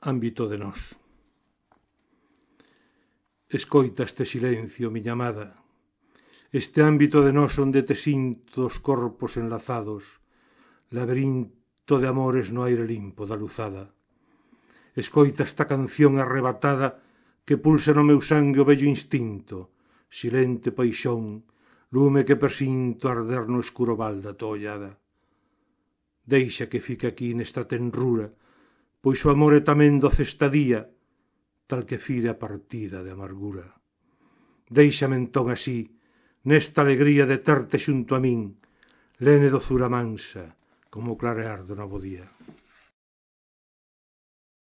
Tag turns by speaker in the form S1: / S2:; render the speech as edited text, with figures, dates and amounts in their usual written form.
S1: Ámbito de nós. Escoita este silencio, miña amada, este ámbito de nós onde te sinto os corpos enlazados, laberinto de amores no aire limpo da luzada. Escoita esta canción arrebatada que pulsa no meu sangue o vello instinto, silente paixón, lume que presinto arder no escuro val da tua ollada. Deixa que fique aquí nesta tenrura, pois o amor é tamén doce estadía, tal que fire a partida de amargura. Deixame entón así, nesta alegría de terte xunto a min, lene dozura mansa, como o clarear do novo día.